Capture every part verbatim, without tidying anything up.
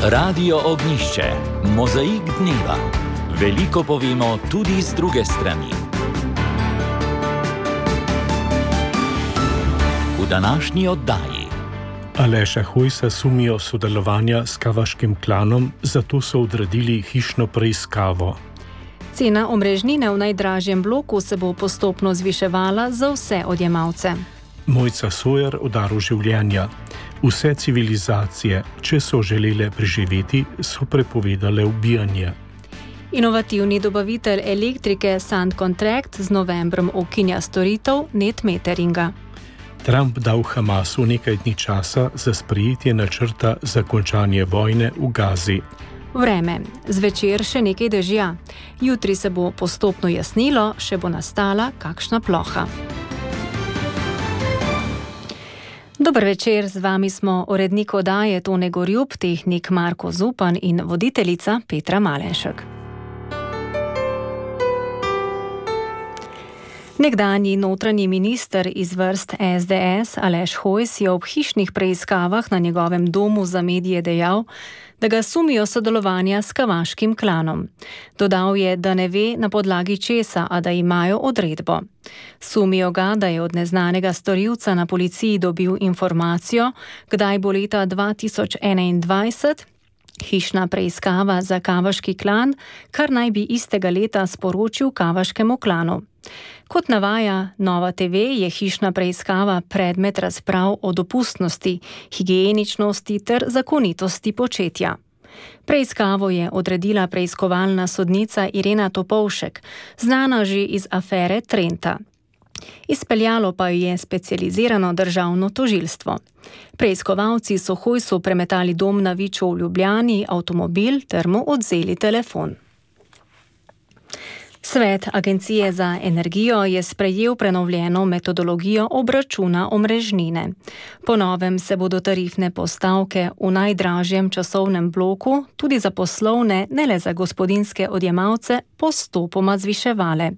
Radio Ognišče, mozaik dneva. Veliko povemo tudi z druge strani. V današnji oddaji Aleša Hojsa sumijo sodelovanja s kavaškim klanom, zato so odredili hišno preiskavo. Cena omrežnine v najdražjem bloku se bo postopno zviševala za vse odjemalce. Mojca Sojer o daru življenja. Vse civilizacije, če so želele preživeti, so prepovedale ubijanje. Inovativni dobavitelj elektrike SunContract z novembrom ukinja storitev netmeteringa. Trump dal Hamasu nekaj dni časa za sprejetje načrta za končanje vojne v Gazi. Vreme. Zvečer še nekaj dežja. Jutri se bo postopno jasnilo, še bo nastala kakšna ploha. Dober večer, z vami smo urednik oddaje Tone Gorjup, tehnik Marko Zupan in voditeljica Petra Malenšek. Nekdanji notranji minister iz vrst S D S Aleš Hojs je ob hišnih preiskavah na njegovem domu za medije dejal, da ga sumijo sodelovanja s kavaškim klanom. Dodal je, da ne ve na podlagi česa, a da imajo odredbo. Sumijo ga, da je od neznanega storilca na policiji dobil informacijo, kdaj bo leta dva tisoč enaindvajset hišna preiskava za kavaški klan, kar naj bi istega leta sporočil kavaškemu klanu. Kot navaja Nova T V, je hišna preiskava predmet razprav o dopustnosti, higieničnosti ter zakonitosti početja. Preiskavo je odredila preiskovalna sodnica Irena Topolšek, znana že iz afere Trenta. Izpeljalo pa jo je specializirano državno tožilstvo. Preiskovalci so Hojsu premetali dom na Viču v Ljubljani, avtomobil ter mu odvzeli telefon. Svet Agencije za energijo je sprejel prenovljeno metodologijo obračuna omrežnine. Po novem se bodo tarifne postavke v najdražjem časovnem bloku, tudi za poslovne, ne le za gospodinjske odjemalce, postopoma zviševale.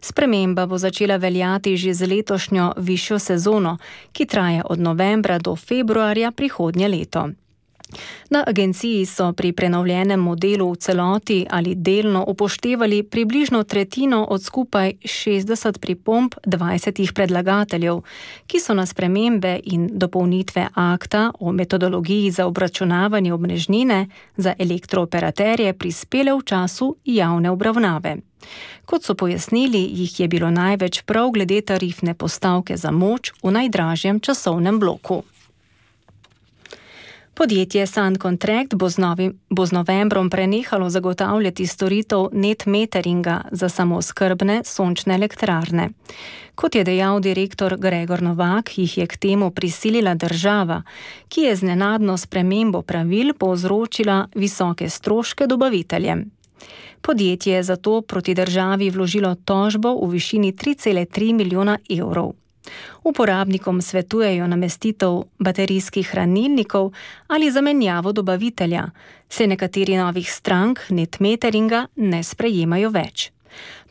Sprememba bo začela veljati že z letošnjo višjo sezono, ki traja od novembra do februarja prihodnje leto. Na agenciji so pri prenovljenem modelu v celoti ali delno upoštevali približno tretjino od skupaj šestdeset pripomb dvajsetih predlagateljev, ki so na spremembe in dopolnitve akta o metodologiji za obračunavanje omrežnine za elektrooperaterje prispele v času javne obravnave. Kot so pojasnili, jih je bilo največ prav glede tarifne postavke za moč v najdražjem časovnem bloku. Podjetje SunContract bo z, novim, bo z novembrom prenehalo zagotavljati storitev netmeteringa za samooskrbne sončne elektrarne. Kot je dejal direktor Gregor Novak, jih je k temu prisilila država, ki je z nenadno spremembo pravil povzročila visoke stroške dobaviteljem. Podjetje je zato proti državi vložilo tožbo v višini tri cele tri milijona evrov. Uporabnikom svetujejo namestitev baterijskih hranilnikov ali zamenjavo dobavitelja, saj nekateri novih strank netmeteringa ne sprejemajo več.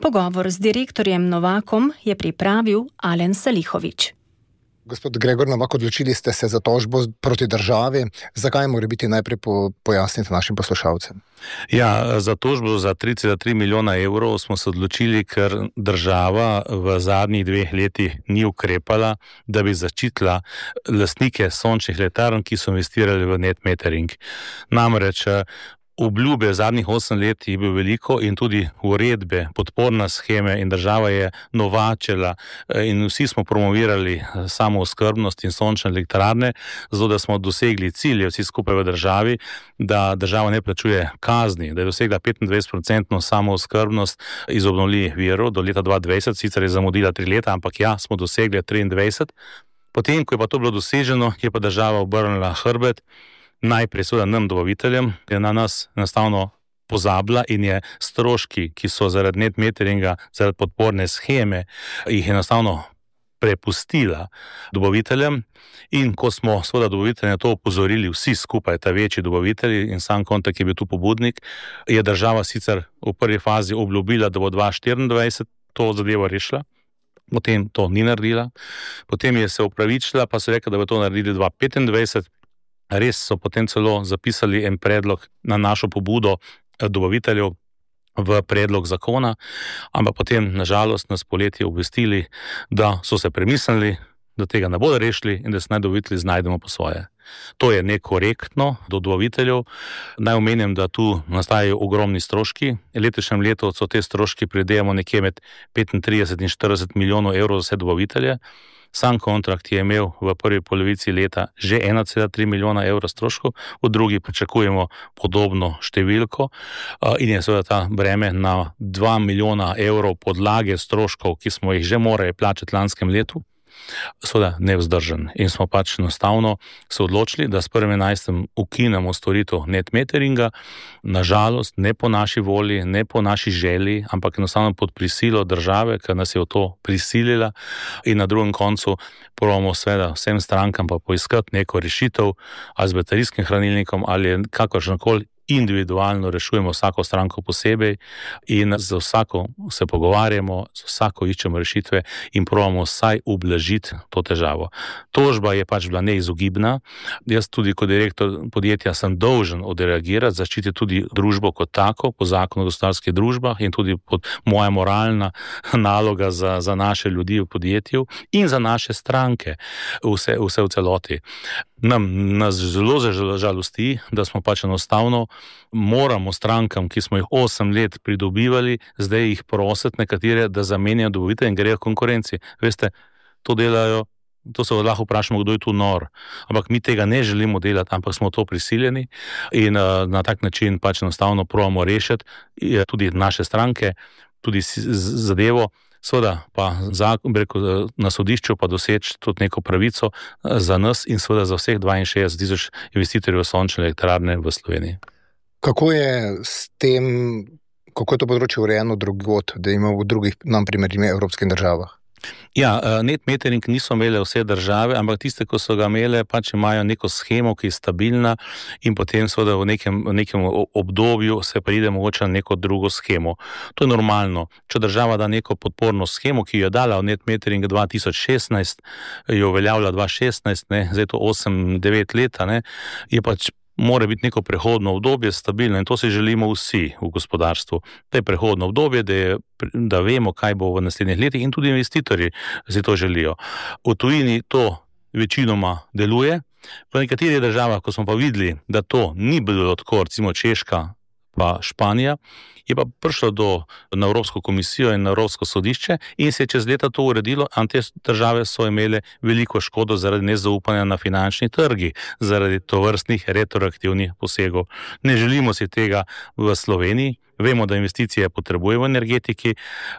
Pogovor z direktorjem Novakom je pripravil Alen Salihovič. Gospod Gregor Novak, odločili ste se za tožbo proti državi. Zakaj mora biti najprej po, pojasniti našim poslušalcem? Ja, za tožbo za tri cele tri milijona evrov smo se odločili, ker država v zadnjih dveh letih ni ukrepala, da bi zaščitila lastnike sončnih elektrarn, ki so investirali v netmetering. Namreč obljube zadnjih osem let je bilo veliko in tudi uredbe, podporna sheme in država je novačila in vsi smo promovirali samooskrbnost in sončne elektrarne, zato da smo dosegli cilje vsi skupaj v državi, da država ne plačuje kazni, da je dosegla petindvajset procentno samooskrbnost iz obnovljivih virov do leta dva tisoč dvajset, sicer je zamudila tri leta, ampak ja, smo dosegli triindvajset. Potem, ko je pa to bilo doseženo, je pa država obrnila hrbet, najprej seveda nam dobaviteljem, je na nas enostavno pozabila in je stroški, ki so zaradi netmeteringa, zaradi podporne sheme, jih enostavno prepustila dobaviteljem. In ko smo seveda dobavitelje na to opozorili vsi skupaj, ta večji dobavitelji in SunContract je bil tu pobudnik, je država sicer v prvi fazi obljubila, da bo dva tisoč štiriindvajset to zadevo rešila. Potem to ni naredila. Potem je se opravičila, pa so rekli, da bo to naredili dva tisoč petindvajset. Res so potem celo zapisali en predlog na našo pobudo dobaviteljev v predlog zakona, ampak potem nažalost nas poletje obvestili, da so se premislili, da tega ne bodo rešili in da se naj dobavitelji znajdemo po svoje. To je nekorektno do dobaviteljev. Naj omenim, da tu nastajajo ogromni stroški. V letošnjem letu so te stroški, predvidevamo nekje med petintrideset in štirideset milijonov evrov za vse dobavitelje. Sam kontrakt je imel v prvi polovici leta že ena cela tri milijona evrov stroškov, v drugi pričakujemo podobno številko in je seveda ta breme na dva milijona evrov podlage stroškov, ki smo jih že morali plačati lanskem letu, seveda nevzdržen. In smo pač enostavno se odločili, da s prvim enajstim ukinemo storitev net meteringa, nažalost ne po naši volji, ne po naši želji, ampak enostavno pod prisilo države, ker nas je v to prisilila, in na drugem koncu probamo seveda vsem strankam pa poiskati neko rešitev, ali z baterijskim hranilnikom ali kakršnokoli individualno rešujemo vsako stranko posebej in za vsako se pogovarjamo, za vsako iščemo rešitve in probamo vsaj ublažiti to težavo. Tožba je pač bila neizogibna. Jaz tudi kot direktor podjetja sem dolžen odreagirati, zaščititi tudi družbo kot tako, po zakonu o gospodarskih družbah in tudi pod moja moralna naloga za, za naše ljudi v podjetju in za naše stranke, vse, vse v celoti. Nam, nas zelo žalosti, da smo pač enostavno moramo strankam, ki smo jih osem let pridobivali, zdaj jih prositi nekatere, da zamenjajo dobavitelje in grejo konkurenci. Veste, to delajo, to se lahko vprašamo, kdo je tu nor. Ampak mi tega ne želimo delati, ampak smo to prisiljeni in uh, na tak način pač enostavno probamo rešiti tudi naše stranke, tudi zadevo. Seveda pa na sodišču pa doseči tudi neko pravico za nas in seveda za vseh dvainšestdeset tisoč investitorjev sončne elektrarne v Sloveniji. Kako je s tem, kako je to področje urejeno drugod, da ima v drugih, nam primerih, evropskih državah? Ja, net metering niso imele vse države, ampak tiste, ko so ga imele, pač imajo neko shemo, ki je stabilna in potem seveda v nekem, v nekem obdobju se pride mogoče na neko drugo shemo. To je normalno. Če država da neko podporno shemo, ki jo je dala v net metering dva tisoč šestnajst, jo uveljavlja dva tisoč šestnajst, ne, zdaj to osem devet leta, ne, je pač mora biti neko prehodno obdobje stabilno in to si želimo vsi v gospodarstvu. To je prehodno obdobje, da, je, da vemo, kaj bo v naslednjih letih in tudi investitorji si to želijo. V tujini to večinoma deluje, v nekaterih državah, ko smo pa videli, da to ni bilo tako, recimo Češka pa Španija, je pa prišlo do, na Evropsko komisijo in na Evropsko sodišče in se je čez leta to uredilo, a te države so imele veliko škodo zaradi nezaupanja na finančni trgi, zaradi tovrstnih retroaktivnih posegov. Ne želimo si tega v Sloveniji, vemo, da investicije potrebujemo v energetiki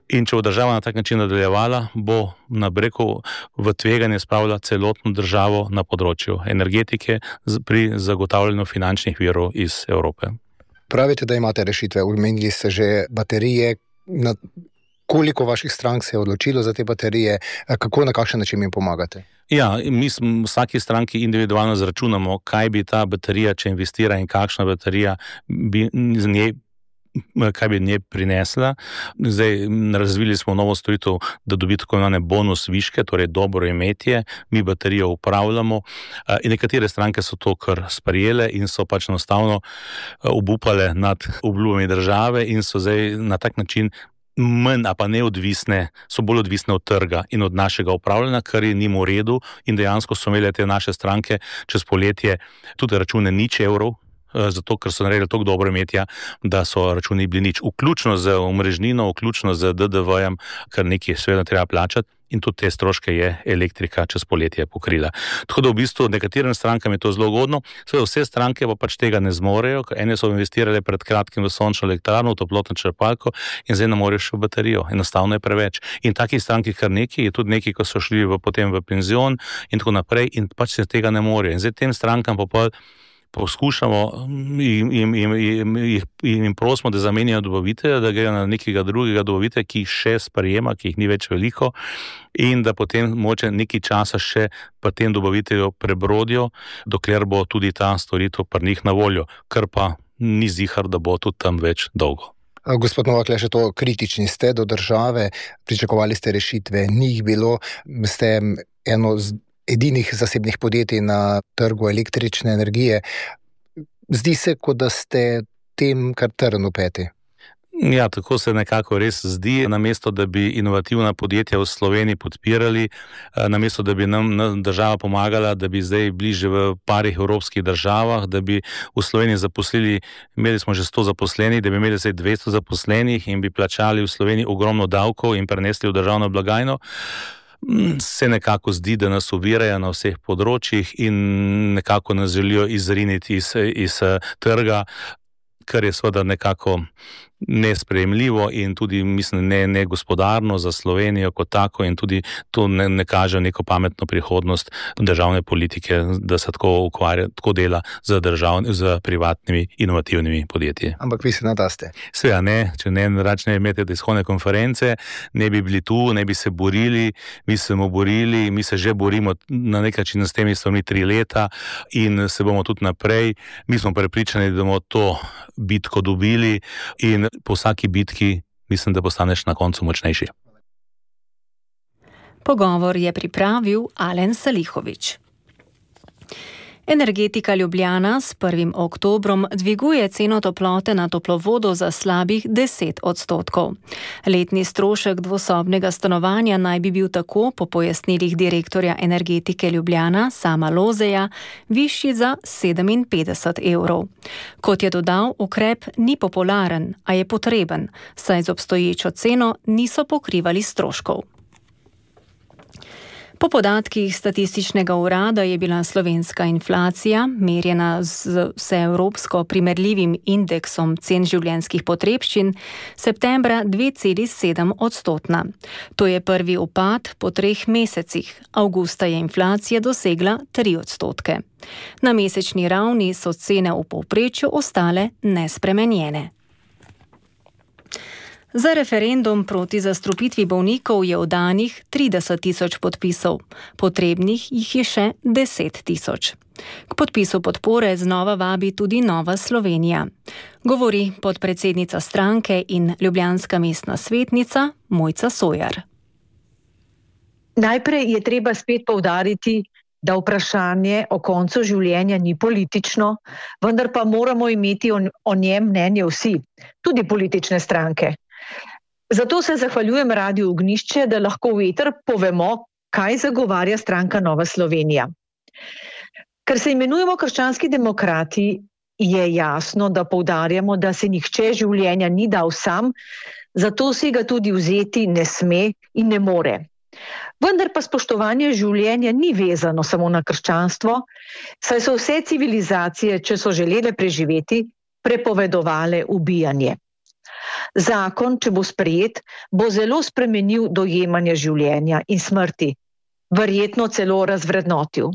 in če bo država na tak način nadaljevala, bo na breku v tveganje spravila celotno državo na področju energetike pri zagotavljanju finančnih virov iz Evrope. Pravite, da imate rešitve, omenili ste že baterije. Na koliko vaših strank se je odločilo za te baterije? Kako, na kakšen način jim pomagate? Ja, mi smo vsaki stranki individualno zračunamo, kaj bi ta baterija, če investira in kakšna baterija bi z njej kaj bi nje prinesla. Zdaj razvili smo novo storitev, da dobi tako imenovane bonus viške, torej dobro imetje, mi baterijo upravljamo in nekatere stranke so to kar sprejele in so pač enostavno obupale nad obljubami države in so zdaj na tak način manj, a pa neodvisne, so bolj odvisne od trga in od našega upravljanja, kar je njim v redu in dejansko so imele te naše stranke čez poletje tudi račune nič evrov, zato ker so naredili toliko dobro imetja, da so računi bili nič. Vključno z omrežnino, vključno z D D V-jem, kar nekaj seveda treba plačati in tudi te stroške je elektrika čez poletje pokrila. Tako da v bistvu nekaterim strankam je to zelo ugodno, seveda vse stranke pa pač tega ne zmorejo, ker ene so investirale pred kratkim v sončno elektrarno, v toplotno črpalko in zdaj ne morejo še v baterijo. Enostavno je preveč. In takih strank je kar nekaj, je tudi nekaj, ko so šli v, potem v penzion in tako naprej in pač se tega ne morejo. In zdaj tem strankam pa pa poskušamo in, in, in, in, in, in prosimo, da zamenjajo dobavitelja, da grejo na nekega drugega dobavitelja, ki jih še sprejema, ki jih ni več veliko in da potem moče nekaj časa še pri tem dobavitelju prebrodijo, dokler bo tudi ta storitev pri njih na voljo, kar pa ni zihar, da bo tudi tam več dolgo. Gospod Novak, le še to, kritični ste do države, pričakovali ste rešitve, ni jih bilo, ste eno edinih zasebnih podjetij na trgu električne energije. Zdi se, kot da ste tem kar trn v peti. Ja, tako se nekako res zdi. Namesto, da bi inovativna podjetja v Sloveniji podpirali, namesto, da bi nam država pomagala, da bi zdaj bili že v parih evropskih državah, da bi v Sloveniji zaposlili, imeli smo že sto zaposlenih, da bi imeli zdaj dvesto zaposlenih in bi plačali v Sloveniji ogromno davkov in prenesli v državno blagajno, se nekako zdi, da nas ovirajo na vseh področjih in nekako nas želijo izriniti iz, iz trga, kar je seveda nekako nesprejemljivo in tudi, mislim, ne, ne gospodarno za Slovenijo kot tako in tudi to ne, ne kaže neko pametno prihodnost državne politike, da se tako ukvarja, tako dela z, državni, z privatnimi inovativnimi podjetji. Ampak vi se nadaste. Seveda ne, če ne račne imeti tiskovne konference, ne bi bili tu, ne bi se borili, mi se bomo borili, mi se že borimo na nek način s temi stvarmi tri leta in se bomo tudi naprej. Mi smo prepričani, da bomo to bitko dobili in po vsaki bitki mislim, da postaneš na koncu močnejši. Pogovor je pripravil Alen Salihovič. Energetika Ljubljana s prvim oktobrom dviguje ceno toplote na toplovodo za slabih deset odstotkov. Letni strošek dvosobnega stanovanja naj bi bil tako, po pojasnilih direktorja Energetike Ljubljana Sama Lozeja, višji za sedeminpetdeset evrov. Kot je dodal, ukrep ni popularen, a je potreben, saj z obstoječo ceno niso pokrivali stroškov. Po podatkih statističnega urada je bila slovenska inflacija, merjena z vseevropsko primerljivim indeksom cen življenjskih potrebščin, septembra dve celi sedem odstotna. To je prvi upad po treh mesecih. Avgusta je inflacija dosegla tri odstotke. Na mesečni ravni so cene v povprečju ostale nespremenjene. Za referendum proti zastrupitvi bolnikov je oddanih trideset tisoč podpisov, potrebnih jih je še deset tisoč. K podpisu podpore znova vabi tudi Nova Slovenija. Govori podpredsednica stranke in ljubljanska mestna svetnica Mojca Sojar. Najprej je treba spet poudariti, da vprašanje o koncu življenja ni politično, vendar pa moramo imeti o, o njem mnenje vsi, tudi politične stranke. Zato se zahvaljujem Radiu Ognjišče, da lahko v eter povemo, kaj zagovarja stranka Nova Slovenija. Ker se imenujemo krščanski demokrati, je jasno, da poudarjamo, da se nihče življenja ni dal sam, zato si ga tudi vzeti ne sme in ne more. Vendar pa spoštovanje življenja ni vezano samo na krščanstvo, saj so vse civilizacije, če so želele preživeti, prepovedovale ubijanje. Zakon, če bo sprejet, bo zelo spremenil dojemanje življenja in smrti, verjetno celo razvrednotil.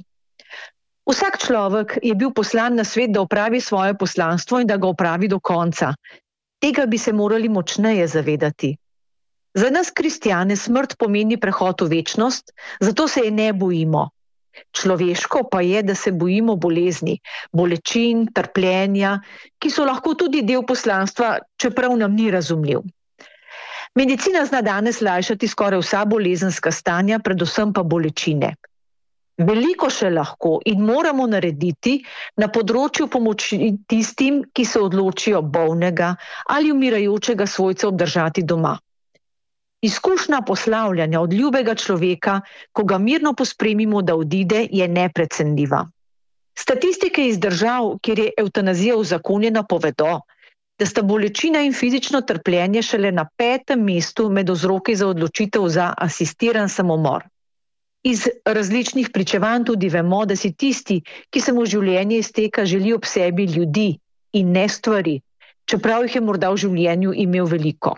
Vsak človek je bil poslan na svet, da opravi svoje poslanstvo in da ga opravi do konca. Tega bi se morali močneje zavedati. Za nas kristjane smrt pomeni prehod v večnost, zato se je ne bojimo. Človeško pa je, da se bojimo bolezni, bolečin, trpljenja, ki so lahko tudi del poslanstva, čeprav nam ni razumljiv. Medicina zna danes lajšati skoraj vsa bolezenska stanja, predvsem pa bolečine. Veliko še lahko in moramo narediti na področju pomoči tistim, ki se odločijo bolnega ali umirajočega svojca obdržati doma. Izkušnja poslavljanja od ljubega človeka, ko ga mirno pospremimo, da odide, je neprecenljiva. Statistike iz držav, kjer je evtanazija uzakonjena, povedo, da sta bolečina in fizično trpljenje šele na petem mestu med vzroki za odločitev za asistiran samomor. Iz različnih pričevanj tudi vemo, da si tisti, ki se mu življenje izteka, želi ob sebi ljudi in ne stvari, čeprav jih je morda v življenju imel veliko.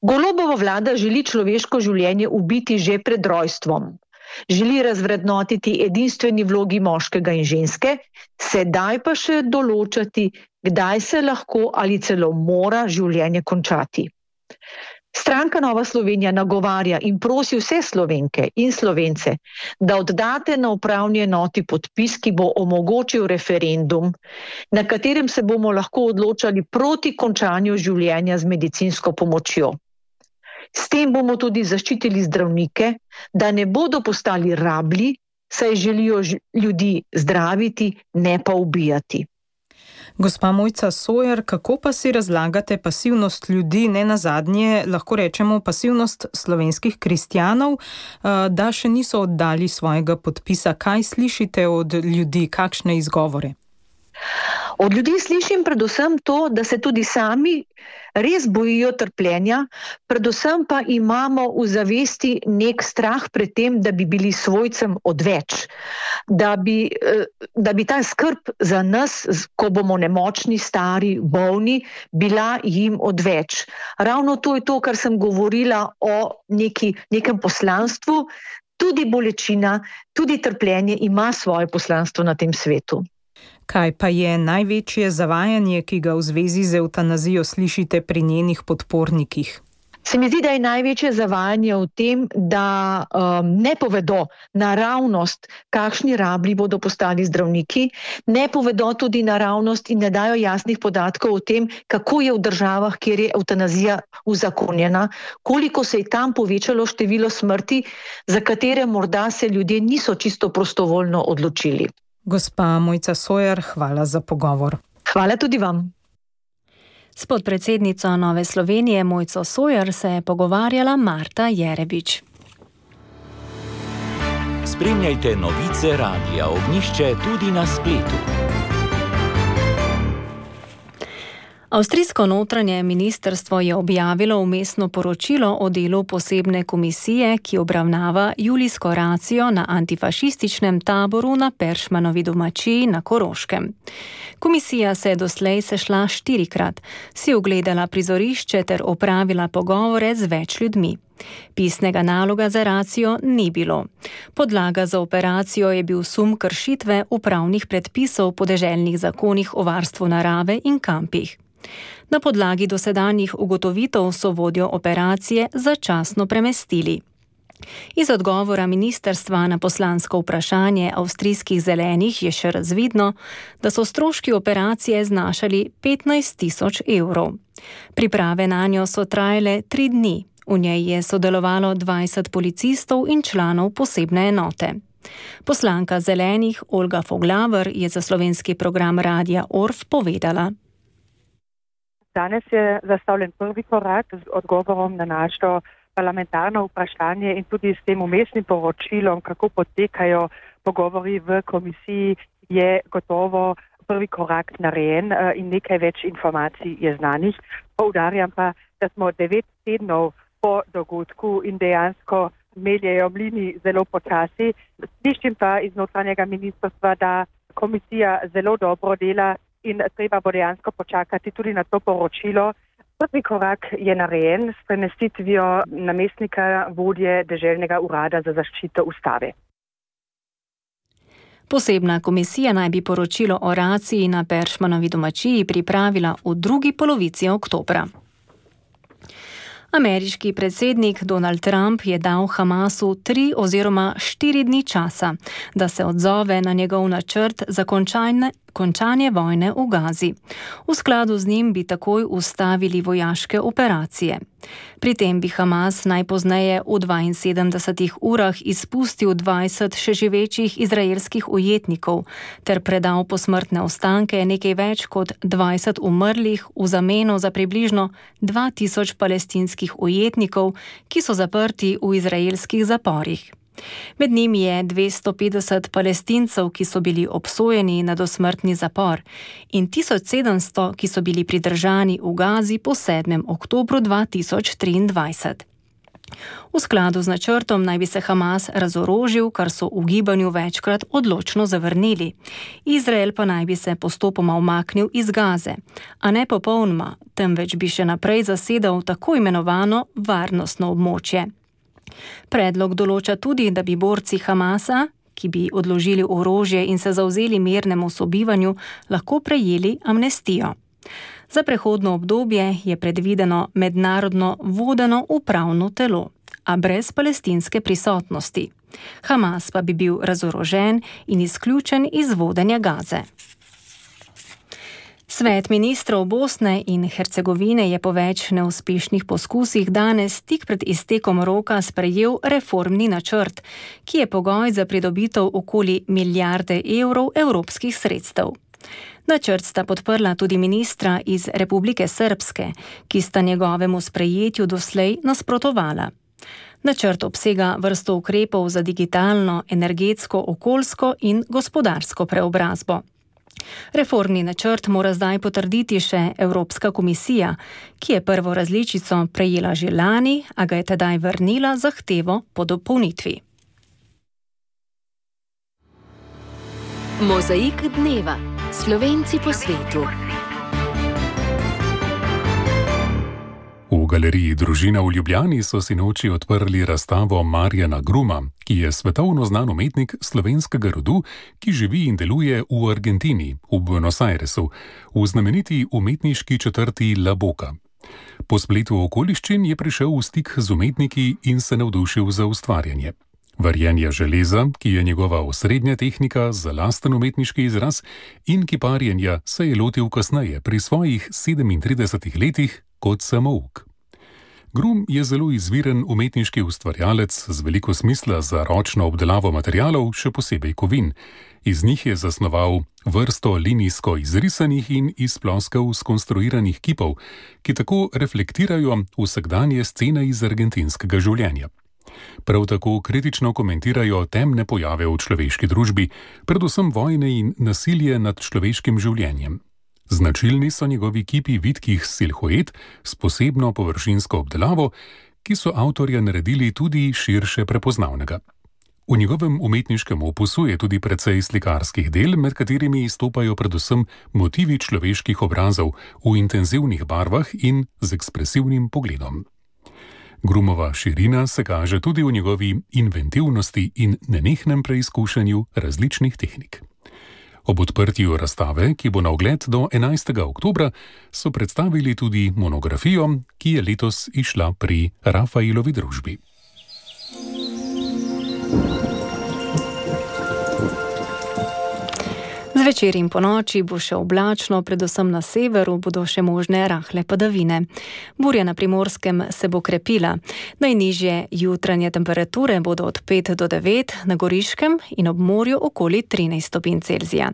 Golobova vlada želi človeško življenje ubiti že pred rojstvom. Želi razvrednotiti edinstveni vlogi moškega in ženske, sedaj pa še določati, kdaj se lahko ali celo mora življenje končati. Stranka Nova Slovenija nagovarja in prosi vse Slovenke in Slovence, da oddate na upravni enoti podpis, ki bo omogočil referendum, na katerem se bomo lahko odločali proti končanju življenja z medicinsko pomočjo. S tem bomo tudi zaščitili zdravnike, da ne bodo postali rablji, saj želijo ljudi zdraviti, ne pa ubijati. Gospa Mojca Sojer, kako pa si razlagate pasivnost ljudi, ne nazadnje, lahko rečemo pasivnost slovenskih kristjanov, da še niso oddali svojega podpisa? Kaj slišite od ljudi, kakšne izgovore? Od ljudi slišim predvsem to, da se tudi sami res bojijo trpljenja, predvsem pa imamo v zavesti nek strah pred tem, da bi bili svojcem odveč, da bi, da bi ta skrb za nas, ko bomo nemočni, stari, bolni, bila jim odveč. Ravno to je to, kar sem govorila o neki, nekem poslanstvu, tudi bolečina, tudi trpljenje ima svoje poslanstvo na tem svetu. Kaj pa je največje zavajanje, ki ga v zvezi z evtanazijo slišite pri njenih podpornikih? Se mi zdi, da je največje zavajanje v tem, da um, ne povedo naravnost, kakšni rablji bodo postali zdravniki, ne povedo tudi naravnost in ne dajo jasnih podatkov o tem, kako je v državah, kjer je evtanazija uzakonjena, koliko se je tam povečalo število smrti, za katere morda se ljudje niso čisto prostovoljno odločili. Gospa Mojca Sojer, hvala za pogovor. Hvala tudi vam. S podpredsednico Nove Slovenije Mojco Sojer se je pogovarjala Marta Jerebič. Spremljajte novice Radia Ognjišče tudi na spletu. Avstrijsko notranje ministrstvo je objavilo vmesno poročilo o delu posebne komisije, ki obravnava julijsko racijo na antifašističnem taboru na Peršmanovi domačiji na Koroškem. Komisija se je doslej sešla štirikrat, si ogledala prizorišče ter opravila pogovore z več ljudmi. Pisnega naloga za racijo ni bilo. Podlaga za operacijo je bil sum kršitve upravnih predpisov po deželnih zakonih o varstvu narave in kampih. Na podlagi dosedanjih ugotovitev so vodjo operacije začasno premestili. Iz odgovora ministrstva na poslansko vprašanje avstrijskih zelenih je še razvidno, da so stroški operacije znašali petnajst tisoč evrov. Priprave nanjo so trajale tri dni. V njej je sodelovalo dvajset policistov in članov posebne enote. Poslanka zelenih Olga Foglaver je za slovenski program Radia Orf povedala. Danes je zastavljen prvi korak z odgovorom na našo parlamentarno vprašanje in tudi s tem umestnim poročilom, kako potekajo pogovori v komisiji, je gotovo prvi korak narejen in nekaj več informacij je znanih. Poudarjam pa, da smo devet tednov po dogodku in dejansko meljejo mlini zelo počasi. Slišim pa iz notranjega ministrstva, da komisija zelo dobro dela in treba bo dejansko počakati tudi na to poročilo. Prvi korak je narejen s premestitvijo namestnika vodje deželnega urada za zaščito ustave. Posebna komisija naj bi poročilo o raciji na Peršmanovi domačiji pripravila v drugi polovici oktobra. Ameriški predsednik Donald Trump je dal Hamasu tri oziroma štiri dni časa, da se odzove na njegov načrt za končanje, končanje vojne v Gazi. V skladu z njim bi takoj ustavili vojaške operacije. Pri tem bi Hamas najpozneje v dvainsedemdesetih urah izpustil dvajset še živečih izraelskih ujetnikov ter predal posmrtne ostanke nekaj več kot dvajset umrlih v zameno za približno dva tisoč palestinskih ujetnikov, ki so zaprti v izraelskih zaporih. Med njimi je dvesto petdeset Palestincev, ki so bili obsojeni na dosmrtni zapor, in tisoč sedemsto, ki so bili pridržani v Gazi po sedmem oktobru dva tisoč triindvajset. V skladu z načrtom naj bi se Hamas razorožil, kar so v gibanju večkrat odločno zavrnili. Izrael pa naj bi se postopoma umaknil iz Gaze, a ne popolnoma, temveč bi še naprej zasedal tako imenovano varnostno območje. Predlog določa tudi, da bi borci Hamasa, ki bi odložili orožje in se zavzeli mirnemu sobivanju, lahko prejeli amnestijo. Za prehodno obdobje je predvideno mednarodno vodeno upravno telo, a brez palestinske prisotnosti. Hamas pa bi bil razorožen in izključen iz vodenja Gaze. Svet ministrov Bosne in Hercegovine je po več neuspešnih poskusih danes tik pred iztekom roka sprejel reformni načrt, ki je pogoj za pridobitev okoli milijarde evrov evropskih sredstev. Načrt sta podprla tudi ministra iz Republike Srpske, ki sta njegovemu sprejetju doslej nasprotovala. Načrt obsega vrsto ukrepov za digitalno, energetsko, okoljsko in gospodarsko preobrazbo. Reformni načrt mora zdaj potrditi še Evropska komisija, ki je prvo različico prejela že lani, a ga je tedaj vrnila zahtevo po dopolnitvi. Mozaik dneva. Slovenci po svetu. V galeriji Družina v Ljubljani so sinoči odprli razstavo Marjana Gruma, ki je svetovno znan umetnik slovenskega rodu, ki živi in deluje v Argentini, v Buenos Airesu, v znameniti umetniški četrti La Boca. Po spletu okoliščin je prišel v stik z umetniki in se navdušil za ustvarjanje. Varjenje železa, ki je njegova osrednja tehnika za lasten umetniški izraz, in kiparjenja se je lotil kasneje pri svojih sedemintridesetih letih kot samouk. Grum je zelo izviren umetniški ustvarjalec z veliko smisla za ročno obdelavo materialov, še posebej kovin. Iz njih je zasnoval vrsto linijsko izrisanih in iz ploskev skonstruiranih kipov, ki tako reflektirajo vsakdanje scene iz argentinskega življenja. Prav tako kritično komentirajo temne pojave v človeški družbi, predvsem vojne in nasilje nad človeškim življenjem. Značilni so njegovi kipi vitkih silhuet s posebno površinsko obdelavo, ki so avtorja naredili tudi širše prepoznavnega. V njegovem umetniškem opusu je tudi precej slikarskih del, med katerimi izstopajo predvsem motivi človeških obrazov v intenzivnih barvah in z ekspresivnim pogledom. Grumova širina se kaže tudi v njegovi inventivnosti in nenehnem preizkušanju različnih tehnik. Ob odprtju razstave, ki bo na ogled do enajstega oktobra, so predstavili tudi monografijo, ki je letos izšla pri Rafaelovi družbi. Zvečer in ponoči bo še oblačno, predvsem na severu bodo še možne rahle padavine. Burja na Primorskem se bo krepila. Najnižje jutranje temperature bodo od pet do devet, na Goriškem in ob morju okoli trinajst stopinj Celzija.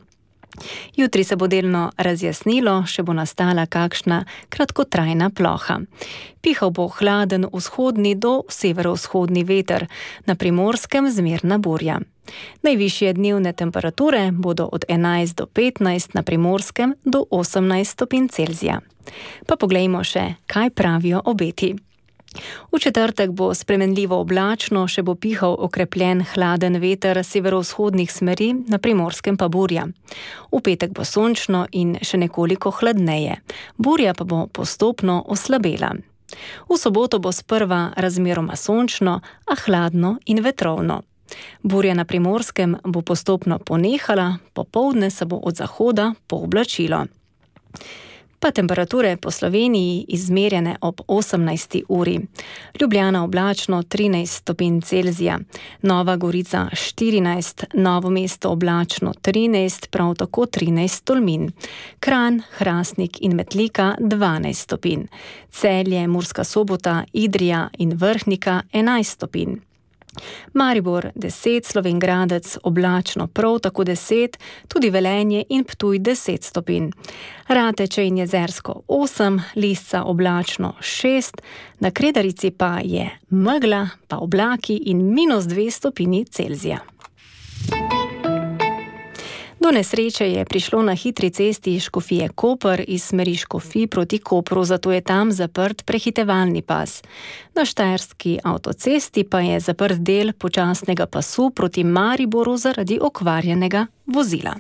Jutri se bo delno razjasnilo, še bo nastala kakšna kratkotrajna ploha. Pihal bo hladen vzhodni do severovzhodni veter, na Primorskem zmerna burja. Najvišje dnevne temperature bodo od enajst do petnajst, na Primorskem do osemnajst stopinj Celzija. Pa poglejmo še, kaj pravijo obeti. V četrtek bo spremenljivo oblačno, še bo pihal okrepljen hladen veter severovzhodnih smeri, na Primorskem pa burja. V petek bo sončno in še nekoliko hladneje. Burja pa bo postopno oslabela. V soboto bo sprva razmeroma sončno, a hladno in vetrovno. Burja na Primorskem bo postopno ponehala, popoldne se bo od zahoda pooblačilo. Pa temperature po Sloveniji izmerjene ob osemnajsti uri. Ljubljana oblačno trinajst stopinj Celzija, Nova Gorica štirinajst, Novo mesto oblačno trinajst, prav tako trinajst Tolmin. Kranj, Hrastnik in Metlika dvanajst stopinj. Celje, Murska Sobota, Idrija in Vrhnika enajst stopinj. Maribor deset, Slovenj Gradec oblačno prav tako deset, tudi Velenje in Ptuj deset stopinj. Rateče in Jezersko osem, Lisca oblačno šest, na Kredarici pa je megla, pa oblaki in minus dve stopinji Celzija. Do nesreče je prišlo na hitri cesti Škofije Koper iz smeri Škofij proti Kopru, zato je tam zaprt prehitevalni pas. Na štajerski avtocesti pa je zaprt del počasnega pasu proti Mariboru zaradi okvarjenega vozila.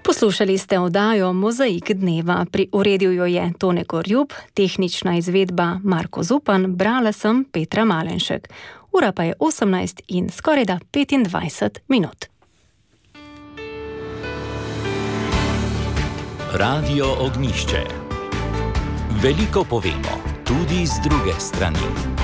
Poslušali ste oddajo Mozaik dneva. Pri uredil jo je Tone Gorjub, tehnična izvedba Marko Zupan, brala sem Petra Malenšek. Ura pa je osemnajst in skorajda petindvajset minut. Radio Ognišče. Veliko povemo, tudi z druge strani.